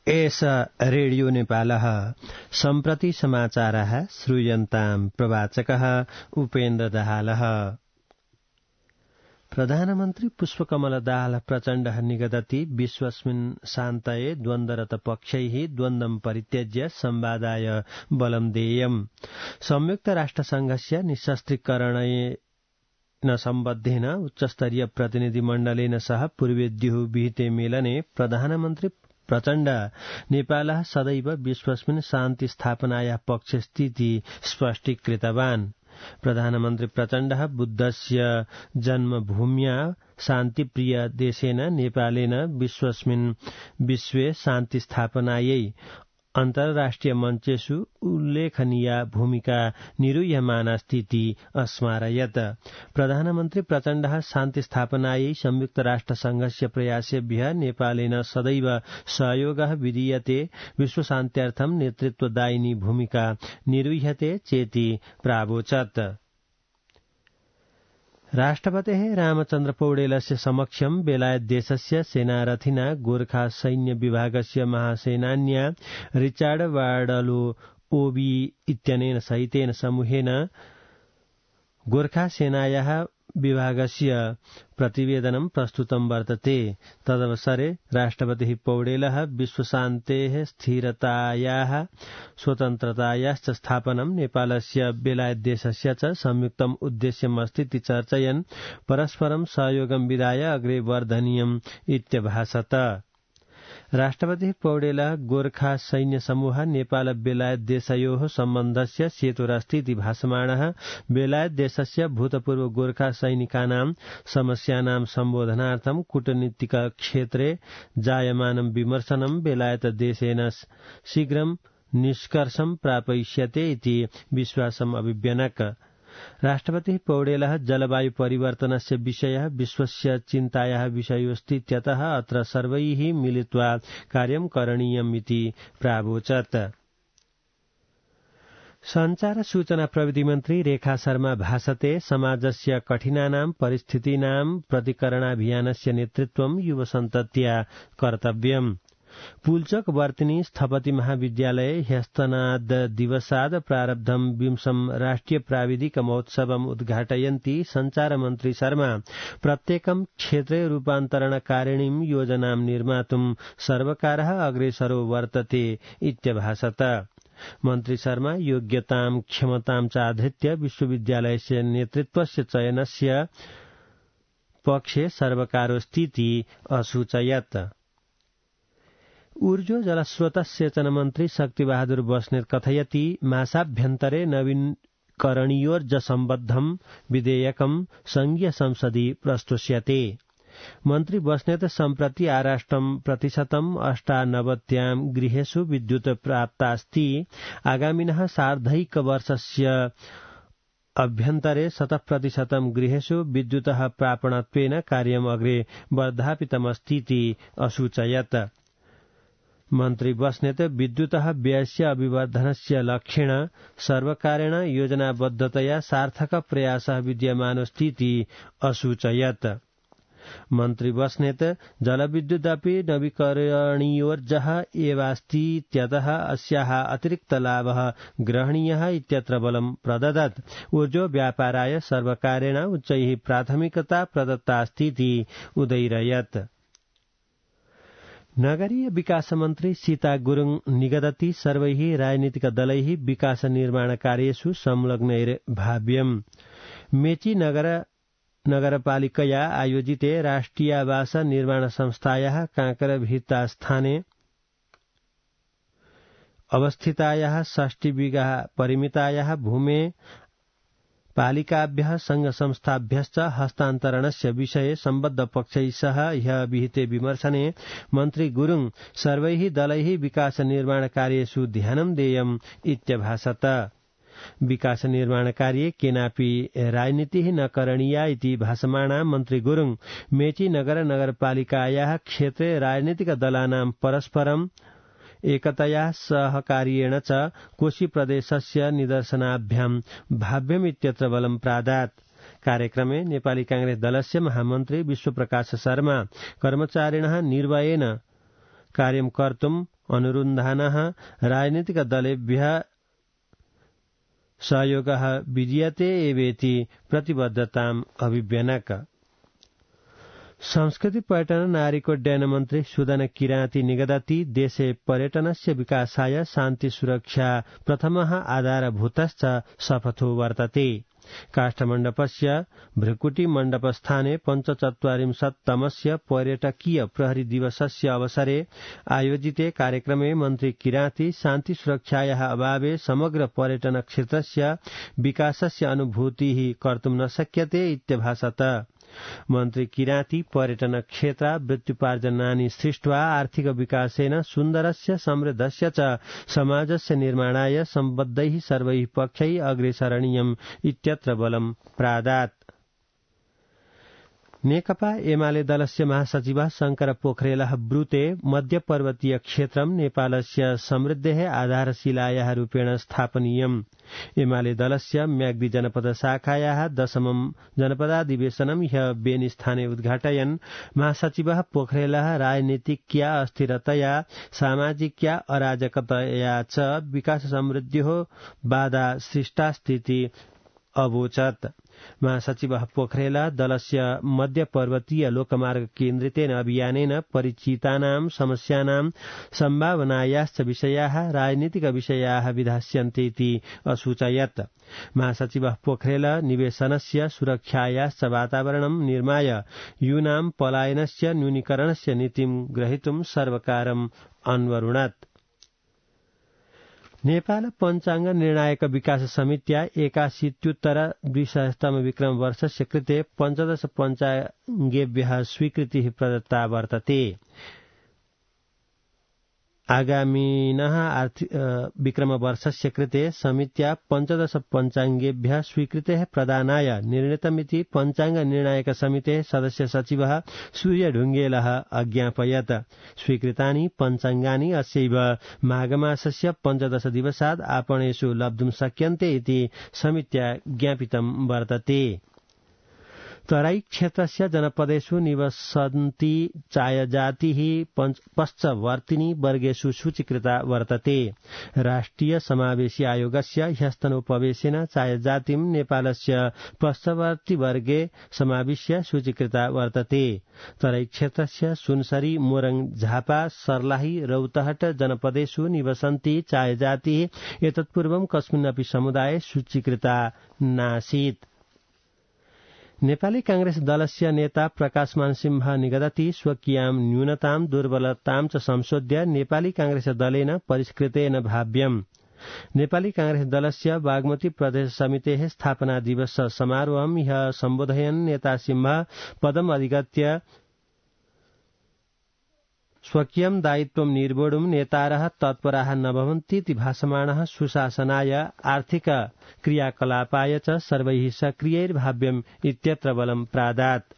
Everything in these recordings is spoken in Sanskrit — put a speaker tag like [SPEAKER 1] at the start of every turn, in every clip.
[SPEAKER 1] एष रेडियो नेपालः सम्प्रति समाचारः श्रूयन्ताम् प्रवाचकः उपेन्द्र दाहालः। प्रधानमन्त्री पुष्पकमल दाहाल प्रचण्डः निगदति विश्वस्मिन् शान्तये द्वन्द्वरत पक्षैः द्वन्द्वं परित्यज्य संवादाय बलं देयम्। संयुक्त राष्ट्रसंघस्य निशस्त्रीकरणेन सम्बद्धेन उच्चस्तरीय प्रतिनिधिमण्डलेन सह पूर्वेद्युः विहिते मेलने प्रधानमन्त्री प्रचण्ड नेपालः सदैव विश्वस्मिन् शान्ति स्थापनायाः पक्षस्थिति स्पष्टीकृतवान्। प्रधानमन्त्री प्रचण्डः बुद्धस्य जन्मभूम्या शान्तिप्रिय देशेन नेपालेन विश्वस्मिन् विश्वे शान्ति स्थापनायै अन्तर्राष्ट्रिय मञ्चेषु उल्लेखनीया भूमिका निरूह्यमानास्तीति अस्मारयत्। प्रधानमन्त्री प्रचण्डः शान्ति स्थापनायै संयुक्त राष्ट्रसंघस्य प्रयासेभ्यः नेपालेन सदैव सहयोगः विधीयते, विश्वशान्त्यार्थं नेतृत्वदायिनी भूमिका निरूह्यते चेति प्रावोचत्। राष्ट्रपतेः रामचन्द्र पौडेलस्य समक्षं बेलायत देशस्य सेनारथिना गोर्खा सैन्य विभागस्य महासेनान्या रिचार्ड वार्डलो ओबी इत्यनेन सहितेन समूहेन गोर्खा सेनायाः विभागस्य प्रतिवेदनं प्रस्तुतं वर्तते। तदवसरे राष्ट्रपतिः पौडेलः विश्वशान्तेः स्थिरतायाः स्वतन्त्रतायाश्च स्थापनं नेपालस्य बेलायत देशस्य च संयुक्तम् उद्देश्यमस्तीति चर्चयन् परस्परं सहयोगं विधाय अग्रे वर्धनीयम् इत्यभाषत। राष्ट्रपतिः पौडेलः गोर्खा सैन्य समूह नेपाल बेलायत देशयोः सम्बन्धस्य सेतुरस्तीति भासमाणः बेलायत देशस्य भूतपूर्व गोर्खा सैनिकानां समस्यानां सम्बोधनार्थं कूटनीतिक क्षेत्रे जायमानं विमर्शनं बेलायत देशेन शीघ्रं निष्कर्षं प्रापयिष्यते इति विश्वासम् अभिव्यनक। राष्ट्रपतिः पौडेलः जलवायु परिवर्तनस्य विषयः विश्वस्य चिन्तायाः विषयोऽस्तीत्यतः अत्र सर्वैः मिलित्वा कार्यं करणीयम् इति प्रावोचत्। संचार सूचना प्रविधि मन्त्री रेखा शर्मा भाषते समाजस्य कठिनानां परिस्थितीनां प्रतिकरणाभियानस्य नेतृत्वं युवसन्तत्या कर्तव्यम्। पुल्चोक वर्तिनी स्थपति महाविद्यालये ह्यस्तनाद दिवसाद प्रारब्धं 20 राष्ट्रिय प्राविधिक महोत्सवम् उद्घाटयन्ती संचार मन्त्री शर्मा प्रत्येकं क्षेत्रे रूपान्तरणकारिणीं योजनां निर्मातुं सर्वकारः अग्रेसरो वर्तते इत्यभाषत। मन्त्री शर्मा योग्यतां क्षमतां चाधृत्य विश्वविद्यालयस्य नेतृत्वस्य चयनस्य पक्षे सर्वकारोस्तीति असूचयत्। ऊर्जो जलस्रोत सेचन मन्त्री शक्तिबहादुर बस्नेत कथयति मासाभ्यन्तरे नवीकरणीयोर्ज सम्बद्धं विधेयकं संघीय संसदि प्रस्तुष्यते। मन्त्री बस्नेत सम्प्रति आराष्ट्रं 98% गृहेषु विद्युत् प्राप्तास्ति। आगामिनः सार्धैकवर्षस्य अभ्यन्तरे 100% गृहेषु विद्युतः प्रापणत्वेन कार्यम् अग्रे वर्धापितमस्तीति असूचयत्। मन्त्री बस्नेत विद्युतः व्ययस्य अभिवर्धनस्य लक्ष्येण सर्वकारेण योजनाबद्धतया सार्थक प्रयासः विद्यमानोऽस्तीति असूचयत्। मन्त्री बस्नेत जलविद्युदपि नवीकरणीयोर्जः एवास्तीत्यतः अस्याः अतिरिक्त लाभः ग्रहणीयः इत्यत्र बलं प्रददत्। ऊर्जो व्यापाराय सर्वकारेण उच्चैः प्राथमिकता प्रदत्तास्तीति उदैरयत्। नगरीय विकास मन्त्री सीता गुरुङ निगदति सर्वैः राजनीतिक दलैः विकास निर्माण कार्येषु संलग्नैर्भाव्यम्। मेची नगरपालिकया आयोजिते राष्ट्रियावास निर्माण संस्थायाः कांकरभित्तास्थाने अवस्थितायाः 60 बिघा परिमितायाः भूमे पालिकाभ्यः संघ संस्थाभ्यश्च हस्तान्तरणस्य विषये सम्बद्ध पक्षैः सह ह्यः विहिते विमर्शने मन्त्री गुरुङ सर्वैः दलैः विकास निर्माण कार्येषु ध्यानं देयम् इत्यभाषत। विकास निर्माण कार्ये केनापि राजनीतिः न करणीया इति भाषमाणा मन्त्री गुरुङ मेची नगरपालिकायाः क्षेत्रे राजनीतिक दलानां परस्परं एकतया सहकार्येण च कोशी प्रदेशस्य निदर्शनाभ्यां भाव्यम् इत्यत्र बलं प्रादात्। कार्यक्रमे नेपाली कांग्रेस दलस्य महामन्त्री विश्वप्रकाश शर्मा कर्मचारिणः निर्भयेन कार्यं कर्तुम् अनुरुन्धानः राजनीतिकदलेभ्यः सहयोगः विधीयते एवेति प्रतिबद्धताम् अभिव्यनक। संस्कृति पर्यटन नागरिकोड्डयन मन्त्री सुदन किराती निगदति देशे पर्यटनस्य विकासाय शान्ति सुरक्षा प्रथमः आधारभूतश्च शपथो वर्तते। काष्ठमण्डपस्य भृकुटिमण्डपस्थाने 45तमस्य पर्यटकीय प्रहरी दिवसस्य अवसरे आयोजिते कार्यक्रमे मन्त्री किराती शान्ति सुरक्षायाः अभावे समग्र पर्यटन क्षेत्रस्य विकासस्य अनुभूतिः कर्तुं न शक्यते इत्यभाषत। मन्त्री किराती पर्यटन क्षेत्र वृत्त्युपार्जनानि सृष्ट्वा आर्थिक विकासेन सुन्दरस्य समृद्धस्य च समाजस्य निर्माणाय सम्बद्धैः सर्वैः पक्षैः अग्रेसरणीयम् इत्यत्र बलं प्रादात्। नेकपा एमाले दलस्य महासचिवः शंकर पोखरेलः ब्रूते मध्यपर्वतीय क्षेत्रं नेपालस्य समृद्धेः आधारशिलायाः रूपेण स्थापनीयम्। एमाले दलस्य म्याग्दी जनपद शाखायाः 10मं जनपदाधिवेशनं ह्यः बेनीस्थाने उद्घाटयन् महासचिवः पोखरेलः राजनीतिक्या अस्थिरतया सामाजिक्या अराजकतया च विकास समृद्ध्योः बाधा सृष्टास्तीति अवोचत्। महासचिवः पोखरेल दलस्य मध्यपर्वतीय लोकमार्ग केन्द्रितेन अभियानेन परिचितानां समस्यानां सम्भावनायाश्च विषयाः राजनीतिक विषयाः विधास्यन्ते असूचयत्। महासचिवः पोखरेल निवेशनस्य सुरक्षायाश्च वातावरणं निर्माय यूनां पलायनस्य न्यूनीकरणस्य नीतिं ग्रहीतुं सर्वकारम् अन्वरुणत्। नेपाल पञ्चाङ्ग निर्णायक विकास समित्या 81-200तम विक्रम वर्षस्य कृते 15 पञ्चाङ्गेभ्यः स्वीकृतिः प्रदत्ता वर्तते। आगामिनः विक्रम वर्षस्य कृते समित्या 15 पञ्चाङ्गेभ्यः स्वीकृतेः प्रदानाय निर्णीतमिति पञ्चाङ्ग निर्णायक समितेः सदस्य सचिवः सूर्य ढुङ्गेलः अज्ञापयत्। स्वीकृतानि पञ्चाङ्गानि अस्यैव माघमासस्य 15 दिवसात् आपणेषु लब्धुं शक्यन्ते इति समित्या ज्ञापितं वर्तते। तराई क्षेत्रस्य जनपदेषु निवसन्ती चायजातिः पश्चवर्तिनी वर्गेषु सूचीकृता वर्तते। राष्ट्रिय समावेशी आयोगस्य ह्यस्तनोपवेशेन चायजातिं नेपालस्य पश्चवर्ती वर्गे समाविश्य सूचीकृता वर्तते। तराई क्षेत्रस्य सुनसरी मोरङ झापा सर्लाही रौतहट जनपदेषु निवसन्ती चायजातिः एतत्पूर्वं कस्मिन्नपि समुदाये सूचीकृता नासीत्। नेपाली कांग्रेस दलस्य नेता प्रकाशमान सिंह निगदति स्वकीयां न्यूनतां दुर्बलतां च संशोध्य नेपाली कांग्रेस दलेन परिष्कृतेन भाव्यम्। नेपाली कांग्रेस दलस्य बागमती प्रदेश समितेः स्थापना दिवस समारोहं ह्यः सम्बोधयन् नेता सिंह पदम् अधिगत्य स्वकीयं दायित्वं निर्वोढुं नेतारः तत्पराः न भवन्तीति भासमानः सुशासनाय आर्थिक क्रियाकलापाय च सर्वैः सक्रियैर्भाव्यम् इत्यत्र बलं प्रादात्।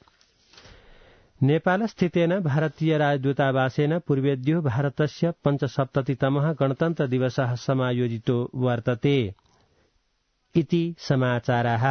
[SPEAKER 1] नेपालस्थितेन भारतीय राजदूतावासेन पूर्वेद्यो भारतस्य 75तमः गणतन्त्र दिवसः समायोजितो वर्तते इति समाचाराः।